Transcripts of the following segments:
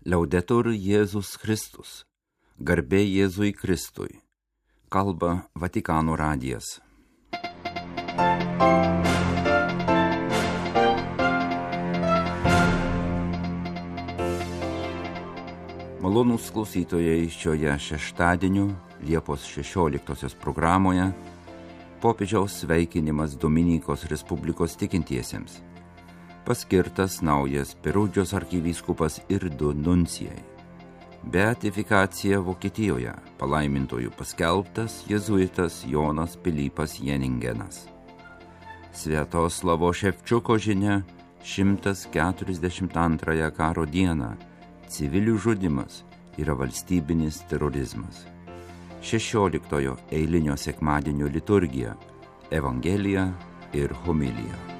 Liaudetur Jėzus Kristus. Garbė Jėzui Kristui. Kalba Vatikano radijas. Malonūs klausytojai, šioje šeštadienio Liepos 16 programoje popiežiaus sveikinimas Dominikos Respublikos tikintiesiems. Paskirtas naujas Perudžos arkivyskupas ir 2 nuncijai. Beatifikacija Vokietijoje, palaimintojų paskelbtas jėzuitas Jonas Pilypas Jeningenas. Sviatoslavo Ševčiuko žinia 142 karo dieną civilių žudymas yra valstybinis terorizmas. 16 eilinio sekmadienio liturgija, evangelija ir homilija.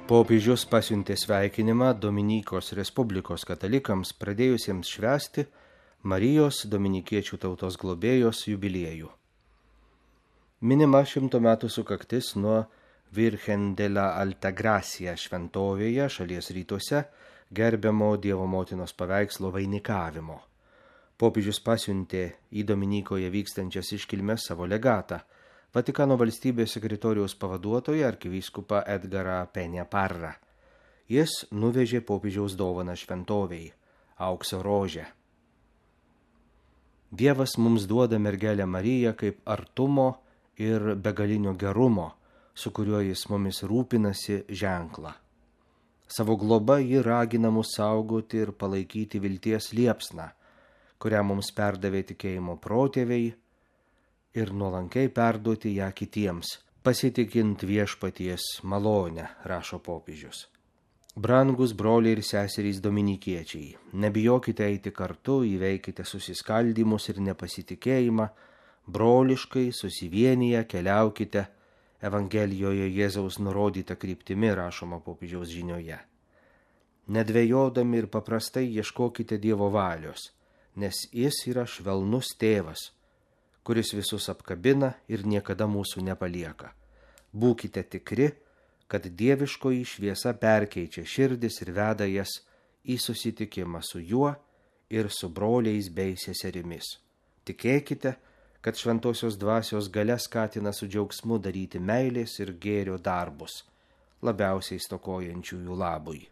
Popiežius pasiuntė sveikinimą Dominikos Respublikos katalikams pradėjusiems švęsti Marijos dominikiečių tautos globėjos jubiliejų. Minima 100 metų sukaktis nuo Virgen de la Altagracia šventovėje šalies rytuose gerbiamo Dievo motinos paveikslo vainikavimo. Popiežius pasiuntė į Dominikoje vykstančias iškilmes savo legatą, Vatikano valstybės sekretoriaus pavaduotoją arkivyskupą Edgarą Peña-Parrą. Jis nuvežė popiežiaus dovaną šventovei – aukso rožę. Dievas mums duoda mergelę Mariją kaip artumo ir begalinio gerumo, su kuriuo jis mumis rūpinasi ženklą. Savo globa ji ragina mus saugoti ir palaikyti vilties liepsną, kurią mums perdavė tikėjimo protėviai, ir nuolankiai perduoti ją kitiems, pasitikint viešpaties malonę, rašo popiežius. Brangus broliai ir seserys dominikiečiai, nebijokite eiti kartu, įveikite susiskaldymus ir nepasitikėjimą, broliškai susivienyje keliaukite Evangelijoje Jėzaus nurodyta kryptimi, rašoma popiežiaus žinioje. Nedvejodami ir paprastai ieškokite Dievo valios, nes jis yra švelnus tėvas, kuris visus apkabina ir niekada mūsų nepalieka. Būkite tikri, kad dieviškoji šviesa perkeičia širdis ir veda jas į susitikimą su juo ir su broliais bei seserimis. Tikėkite, kad šventosios dvasios galia skatina su džiaugsmu daryti meilės ir gėrio darbus, labiausiai stokojančiųjų labui.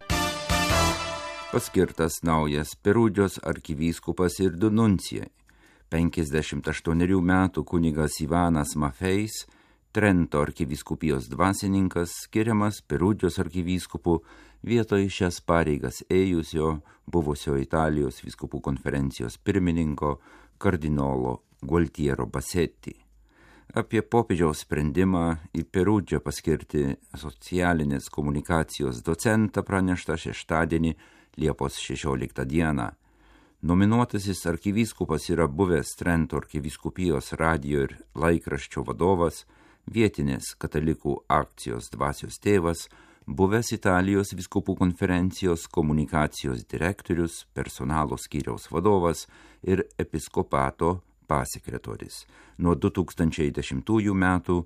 Paskirtas naujas Perudžos arkivyskupas ir 2 nuncijai. 58 metų kunigas Ivanas Mafeis, Trento arkivyskupijos dvasininkas, skiriamas Perudžos arkivyskupu vietoj šias pareigas ėjusio buvusio Italijos vyskupų konferencijos pirmininko kardinolo Gualtiero Bassetti. Apie popiežiaus sprendimą į Perudžą paskirti socialinės komunikacijos docentą pranešta šeštadienį Liepos 16 dieną. Nominuotasis arkivyskupas yra buvęs Trento arkivyskupijos radijo ir laikraščio vadovas, vietinės katalikų akcijos dvasios tėvas, buvęs Italijos vyskupų konferencijos komunikacijos direktorius, personalo skyriaus vadovas ir episkopato pasekretorius. Nuo 2010 metų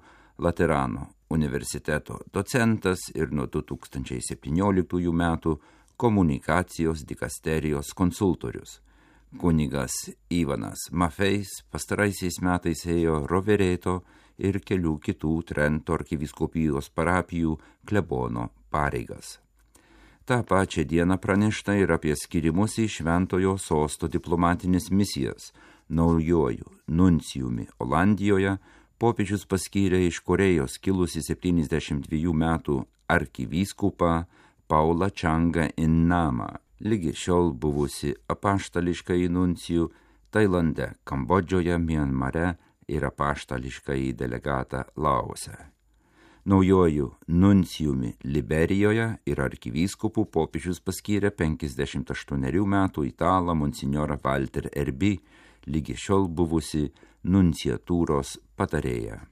Laterano universiteto docentas ir nuo 2017 metų komunikacijos dikasterijos konsultorius. Kunigas Ivanas Mafeis pastaraisiais metais ėjo Rovereto ir kelių kitų Trento arkivyskupijos parapijų klebono pareigas. Ta pačia diena pranešta ir apie skirimus į Šventojo sosto diplomatinės misijas. Naujuoju nuncijumi Olandijoje popiežius paskyrė iš Korėjos kilusi 72 metų arkivyskupą Paulą Čangą Innamą, lygi šiol buvusi apaštališkai nuncijų Tailande, Kambodžoje, Mianmare ir apaštališkai delegatą Laose. Naujuoju nuncijumi Liberijoje ir arkivyskupu popiežius paskyrė 58 metų italą monsinjorą Walter Erbi, lygi šiol buvusi nunciatūros patarėja.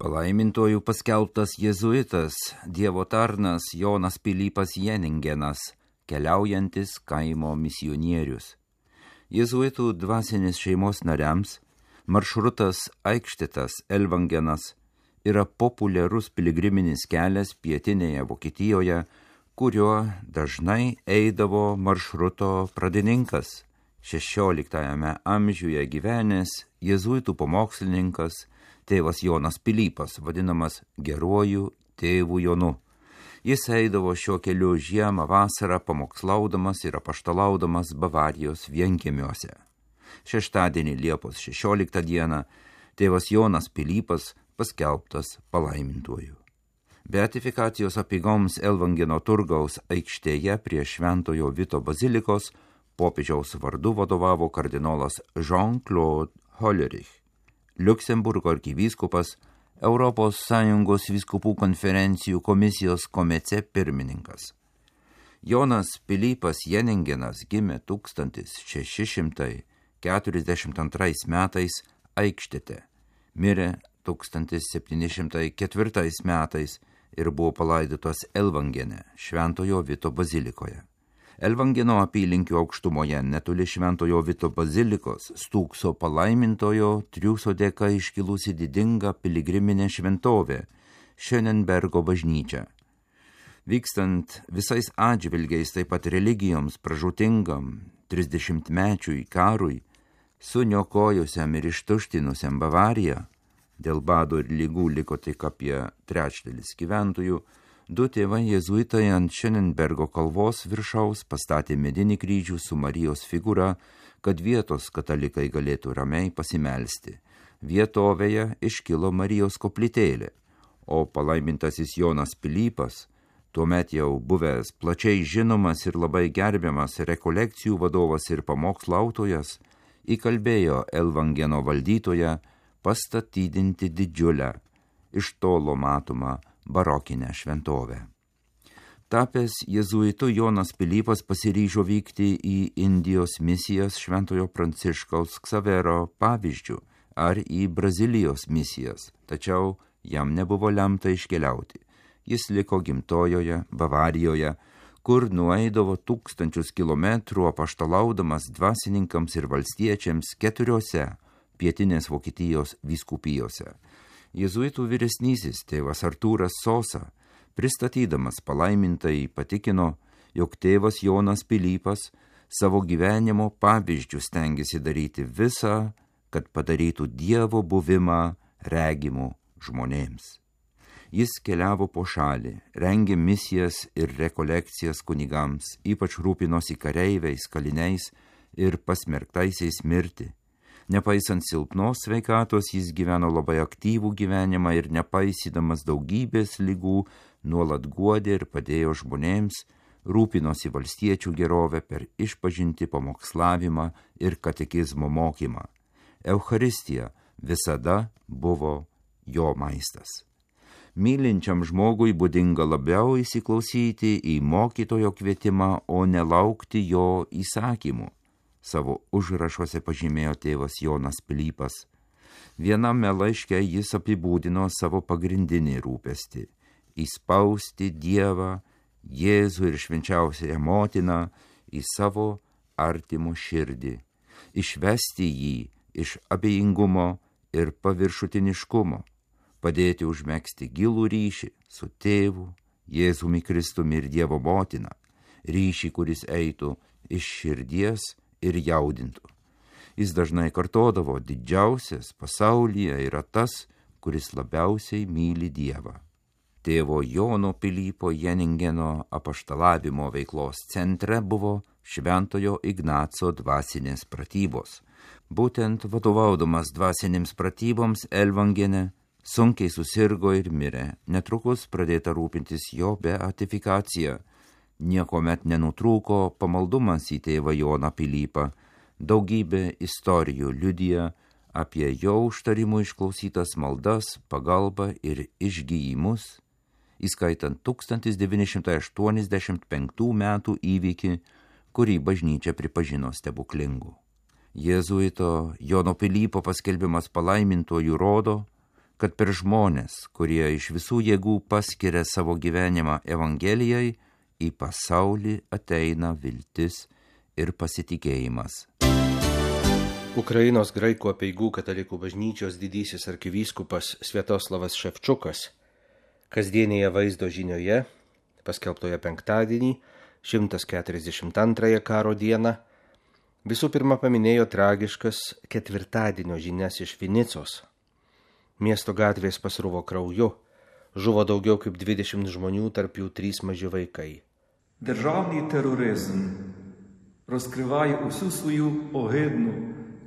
Palaimintojų paskelbtas jėzuitas, Dievo tarnas Jonas Pilypas Jeningenas keliaujantis kaimo misionierius. Jėzuitų dvasinis šeimos nariams maršrutas Eichstättas-Ellwangenas yra populiarus piligriminis kelias pietinėje Vokietijoje, kuriuo dažnai eidavo maršruto pradininkas, 16 amžiuje gyvenęs jėzuitų pamokslininkas tėvas Jonas Pilypas, vadinamas geruoju tėvu Jonu. Jis eidavo šiuo keliu žiemą, vasarą pamokslaudamas ir apaštalaudamas Bavarijos vienkiemiuose. Šeštadienį Liepos 16 dieną tėvas Jonas Pilypas paskelbtas palaimintuoju. Beatifikacijos apeigoms Ellwangeno turgaus aikštėje prie Šventojo Vito bazilikos popiežiaus vardu vadovavo kardinolas Jean-Claude Hollerich, Liuksemburgo arkivyskupas, Europos Sąjungos vyskupų konferencijų komisijos komece pirmininkas. Jonas Pilypas Jeningenas gimė 1642 metais Eichstätte, mirė 1704 metais ir buvo palaidotas Ellwangene, Šventojo Vito bazilikoje. Ellwangeno apylinkių aukštumoje netoli Šventojo Vito bazilikos stūkso palaimintojo Triūso dėka iškilusi didinga piligriminė šventovė Schönenbergo bažnyčia. Vykstant visais atžvilgiais, taip pat religijoms pražūtingam 30-mečiui karui, suniokojusiam ir ištuštinusiam Bavariją, dėl bado ir lygų liko tik apie 1/3 gyventojų, du tėvai jėzuitai ant Schönenbergo kalvos viršaus pastatė medinį kryžių su Marijos figūra, kad vietos katalikai galėtų ramiai pasimelsti. Vietovėje iškilo Marijos koplytėlė, o palaimintasis Jonas Pilypas, tuomet jau buvęs plačiai žinomas ir labai gerbiamas rekolekcijų vadovas ir pamokslautojas, įkalbėjo Ellwangeno valdytoją pastatydinti didžiulę, iš tolo matomą barokinę šventovę. Tapęs jėzuitu, Jonas Pilypas pasiryžo vykti į Indijos misijas Šventojo Pranciškaus Ksavero pavyzdžių ar į Brazilijos misijas, tačiau jam nebuvo lemta iškeliauti. Jis liko gimtojoje Bavarijoje, kur nueidavo 1000 kilometrų apaštalaudamas dvasininkams ir valstiečiams 4 pietinės Vokietijos vyskupijose. Jėzuitų vyresnysis tėvas Artūras Sosa, pristatydamas palaimintai, patikino, jog tėvas Jonas Pilypas savo gyvenimo pavyzdžių stengiasi daryti visą, kad padarytų Dievo buvimą regimų žmonėms. Jis keliavo po šalį, rengė misijas ir rekolekcijas kunigams, ypač rūpinosi kareiviais, kaliniais ir pasmerktaisiais mirti. Nepaisant silpnos sveikatos, jis gyveno labai aktyvų gyvenimą ir nepaisydamas daugybės ligų, nuolat guodė ir padėjo žmonėms, rūpinosi valstiečių gerovę per išpažintį, pamokslavimą ir katekizmo mokymą. Eucharistija visada buvo jo maistas. Mylinčiam žmogui būdinga labiau įsiklausyti į mokytojo kvietimą, o nelaukti jo įsakymų. Savo užrašuose pažymėjo tėvas Jonas Pilypas. Viename laiške jis apibūdino savo pagrindinį rūpestį – įspausti Dievą, Jėzų ir švenčiausiąją motiną į savo artimo širdį, išvesti jį iš abejingumo ir paviršutiniškumo, padėti užmegzti gilų ryšį su tėvu, Jėzumi Kristumi ir Dievo motina, ryšį, kuris eitų iš širdies ir jaudintų. Jis dažnai kartodavo, didžiausias pasaulyje yra tas, kuris labiausiai myli Dievą. Tėvo Jono Pilypo Jeningeno apaštalavimo veiklos centre buvo Šventojo Ignaco dvasinės pratybos. Būtent vadovaudamas dvasinėms pratyboms Ellwangene sunkiai susirgo ir mirė. Netrukus pradėta rūpintis jo beatifikacija. Niekuomet nenutrūko pamaldumas į tėvą Joną Pilypą. Daugybė istorijų liudija apie jo užtarimų išklausytas maldas, pagalbą ir išgyjimus, įskaitant 1985 metų įvykį, kurį bažnyčia pripažino stebuklingu. Jėzuito Jono Pilypo paskelbimas palaimintuoju rodo, kad per žmonės, kurie iš visų jėgų paskiria savo gyvenimą Evangelijai, į pasaulį ateina viltis ir pasitikėjimas. Ukrainos graikų apeigų katalikų bažnyčios didysis arkivyskupas Sviatoslavas Ševčukas kasdienėje vaizdo žinioje, paskelbtoje penktadienį, 142 karo dieną, visų pirma paminėjo tragiškas ketvirtadienio žinias iš Vinicos. Miesto gatvės pasruvo krauju, žuvo daugiau kaip 20 žmonių, tarp jų 3 maži vaikai. Державний тероризм розкриває усю свою огидну,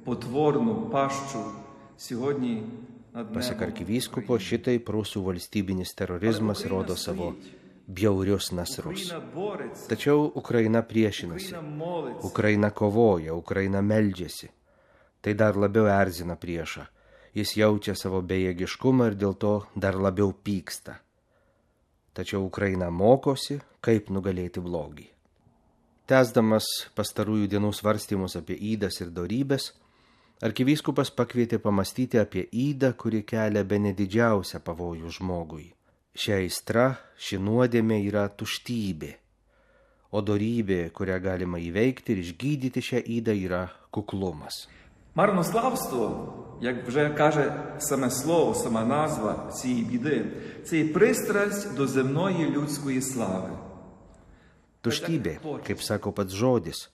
потворну пащу сьогодні над Pasak небом. arkivyskupo, šitai prūsų valstybinis terorizmas rodo savo bjaurius nasrus. Україна бореться, Tačiau Ukraina priešinasi, Україна молиться. Ukraina kovoja, Ukraina meldžiasi. Tai dar labiau erzina priešą. Jis jaučia savo bejėgiškumą ir dėl to dar labiau pyksta. Tačiau Ukraina mokosi, kaip nugalėti blogį. Tęsdamas pastarųjų dienų svarstymus apie ydas ir dorybės, arkivyskupas pakvietė pamastyti apie ydą, kuri kelia bene didžiausią pavojų žmogui. Ši aistra, ši nuodėmė yra tuštybė, o dorybė, kurią galima įveikti ir išgydyti šią ydą, yra kuklumas. Марнославство, як вже каже саме слово, сама назва цієї біди, це є пристрасть до земної людської слави. Tuštybė, kaip sako pats žodis,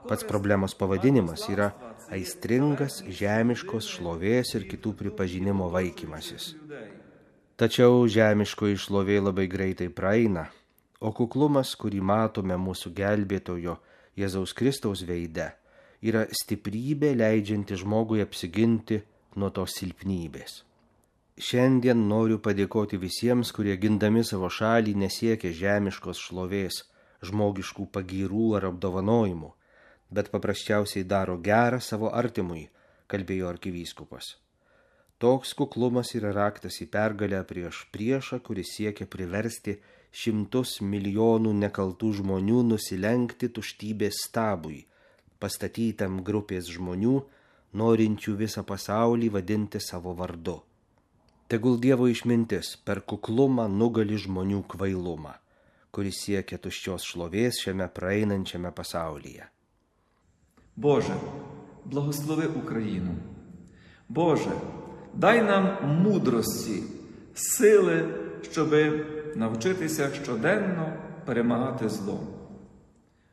pats problemos pavadinimas yra aistringas žemiškos šlovės ir kitų pripažinimo vaikymasis. Tačiau žemiškoji šlovė labai greitai praeina, o kuklumas, kurį matome mūsų gelbėtojo Jėzaus Kristaus veide, yra stiprybė leidžianti žmogui apsiginti nuo tos silpnybės. Šiandien noriu padėkoti visiems, kurie gindami savo šalį nesiekia žemiškos šlovės, žmogiškų pagyrų ar apdovanojimų, bet paprasčiausiai daro gerą savo artimui, kalbėjo arkivyskupas. Toks kuklumas yra raktas į pergalę prieš priešą, kuris siekia priversti 100 milijonų nekaltų žmonių nusilenkti tuštybės stabui, pastatytam grupės žmonių, norinčių visą pasaulį vadinti savo vardu. Tegul Dievo išmintis per kuklumą nugali žmonių kvailumą, kuris siekia tuščios šlovės šiame praeinančiame pasaulyje. Боже, благослови Україну. Боже, дай нам мудрості, сили, щоби навчитися щоденно перемагати зло.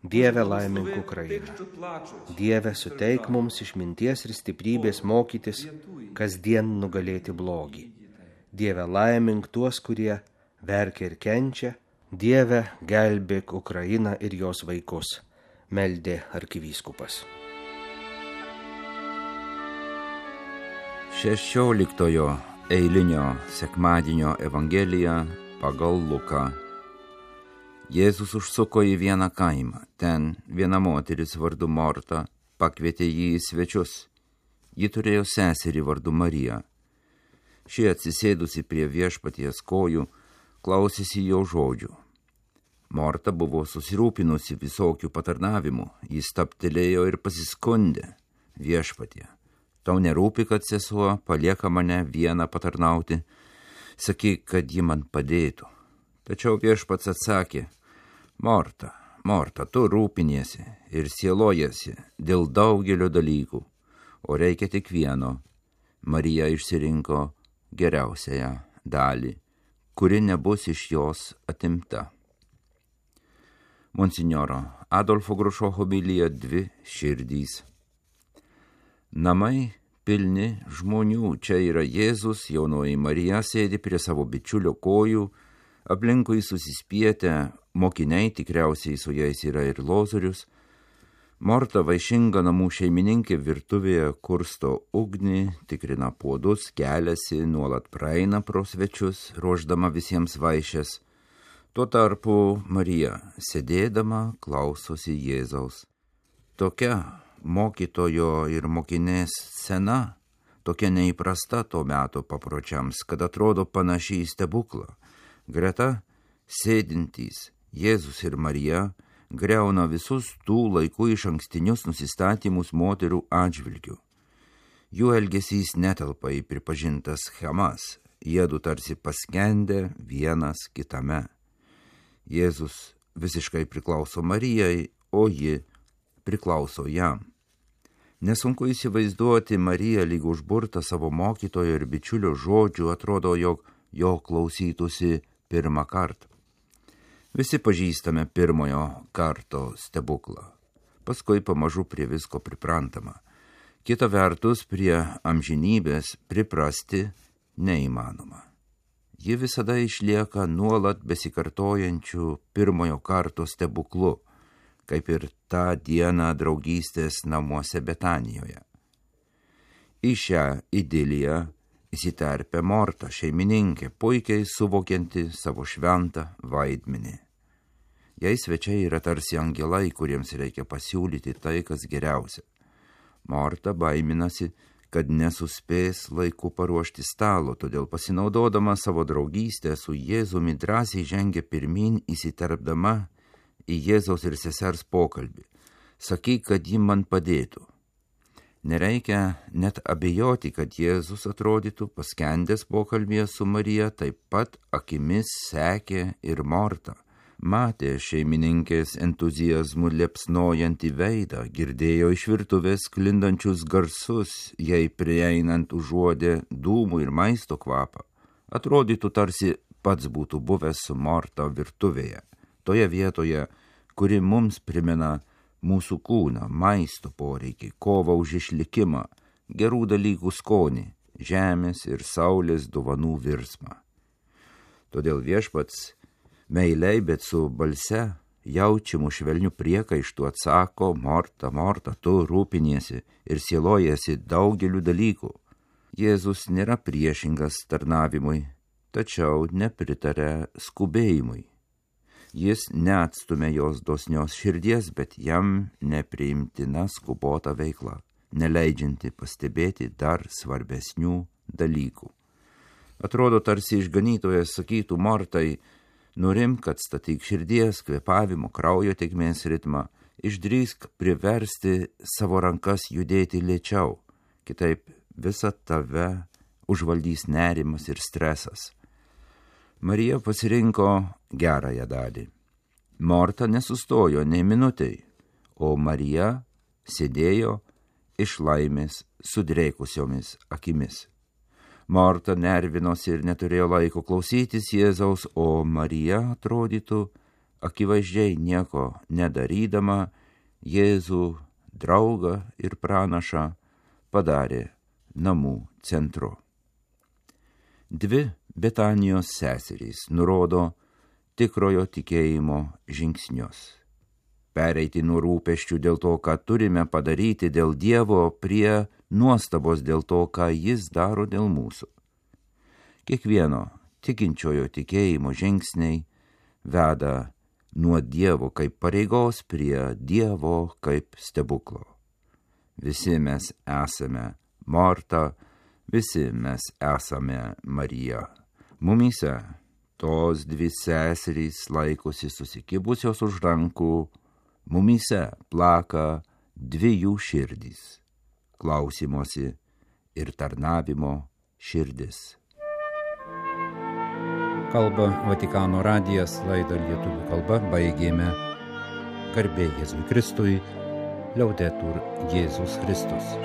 Dieve laimink Ukrainą. Тих, що плачуть, Dieve suteik mums išminties ir stiprybės mokytis, kasdien nugalėti blogį. Dieve laimink tuos, kurie verkia ir kenčia. Dieve gelbėk Ukrainą ir jos vaikus, meldė arkivyskupas. 16 eilinio sekmadienio Evangelija pagal Luką. Jėzus užsuko į vieną kaimą. Ten viena moteris vardu Morta pakvietė jį į svečius. Ji turėjo seserį vardu Mariją. Ši atsisėdusi prie viešpaties kojų, klausėsi jo žodžių. Morta buvo susirūpinusi visokių patarnavimų. Jis stabtelėjo ir pasiskundė: Viešpatie, tau nerūpi, kad sesuo palieka mane vieną patarnauti? Sakyk, kad ji man padėtų. Tačiau viešpats atsakė: Morta, Morta, tu rūpiniesi ir sielojasi dėl daugelio dalykų, o reikia tik vieno. Marija išsirinko geriausiąją dalį, kuri nebus iš jos atimta. Monsinjoro Adolfo Grušo homilija 2 širdys. Namai pilni žmonių. Čia yra Jėzus, jaunoji Marija sėdi prie savo bičiulio kojų, aplinkui susispietę mokiniai, tikriausiai su jais yra ir Lozorius. Morta, vaišinga namų šeimininkė, virtuvėje kursto ugnį, tikrina puodus, keliasi, nuolat praeina pro svečius, ruošdama visiems vaišes. Tuo tarpu Marija, sėdėdama, klausosi Jėzaus. Tokia mokytojo ir mokinės scena, tokia neįprasta to meto papročiams, kad atrodo panašiai į stebuklą. Greta sėdintys Jėzus ir Marija griauna visus tų laikų išankstinius nusistatymus moterų atžvilgių. Jų elgesys netelpa į pripažintas schemas, jiedu tarsi paskendę vienas kitame. Jėzus visiškai priklauso Marijai, o ji priklauso jam. Nesunku įsivaizduoti Mariją lyg užburtą savo mokytojo ir bičiulio žodžių, atrodo, jog jo klausytųsi pirmą kartą. Visi pažįstame pirmojo karto stebuklą. Paskui pamažu prie visko priprantama. Kita vertus, prie amžinybės priprasti neįmanoma. Ji visada išlieka nuolat besikartojančių pirmojo karto stebuklu, kaip ir tą dieną draugystės namuose Betanijoje. Į šią idiliją įsiterpia Morta, šeimininkė, puikiai suvokianti savo šventą vaidmenį. Jei svečiai yra tarsi angelai, kuriems reikia pasiūlyti tai, kas geriausia. Morta baiminasi, kad nesuspės laiku paruošti stalo, todėl pasinaudodama savo draugystę su Jėzumi drąsiai žengia pirmin, įsiterpdama į Jėzaus ir sesers pokalbį. Sakyk, kad ji man padėtų. Nereikia net abejoti, kad Jėzus atrodytų paskendęs pokalbėje su Marija, taip pat akimis sekė ir Morta. Matė šeimininkės entuziazmų liepsnojantį veidą, girdėjo iš virtuvės sklindančius garsus, jei prieinant užuodė dūmų ir maisto kvapą. Atrodytų tarsi pats būtų buvęs su Morta virtuvėje, toje vietoje, kuri mums primena mūsų kūną, maisto poreikį, kovą už išlikimą, gerų dalykų skonį, žemės ir saulės dovanų virsmą. Todėl Viešpats meiliai, bet su balse jaučiamu švelniu priekaištu atsako: Morta, Morta, tu rūpiniesi ir sielojasi daugeliu dalykų. Jėzus nėra priešingas tarnavimui, tačiau nepritaria skubėjimui. Jis neatstumia jos dosnios širdies, bet jam nepriimtina skubota veikla, neleidžianti pastebėti dar svarbesnių dalykų. Atrodo, tarsi išganytojas sakytų Mortai: nurimk, atstatyk širdies, kvėpavimo, kraujo tėkmės ritmą, išdrįsk priversti savo rankas judėti lėčiau, kitaip visą tave užvaldys nerimas ir stresas. Marija pasirinko gerąją dalį. Morta nesustojo nei minutei, o Marija sėdėjo iš laimės sudrėkusiomis akimis. Morta nervinosi ir neturėjo laiko klausytis Jėzaus, o Marija, atrodytų, akivaizdžiai nieko nedarydama, Jėzų draugą ir pranašą padarė namų centru. Dvi Betanijos seserys nurodo tikrojo tikėjimo žingsnius. Pereiti nuo rūpesčių dėl to, ką turime padaryti dėl Dievo, prie nuostabos dėl to, ką Jis daro dėl mūsų. Kiekvieno tikinčiojo tikėjimo žingsniai veda nuo Dievo kaip pareigos prie Dievo kaip stebuklo. Visi mes esame Morta, visi mes esame Marija. Mumyse tos dvi seserys laikosi susikibusios už rankų, mumyse plaka dvi jų širdys – klausimosi ir tarnavimo širdis. Kalba Vatikano radijas, laidą lietuvių kalba baigėme. Garbė Jėzui Kristui, Liaudetur Jėzus Kristus.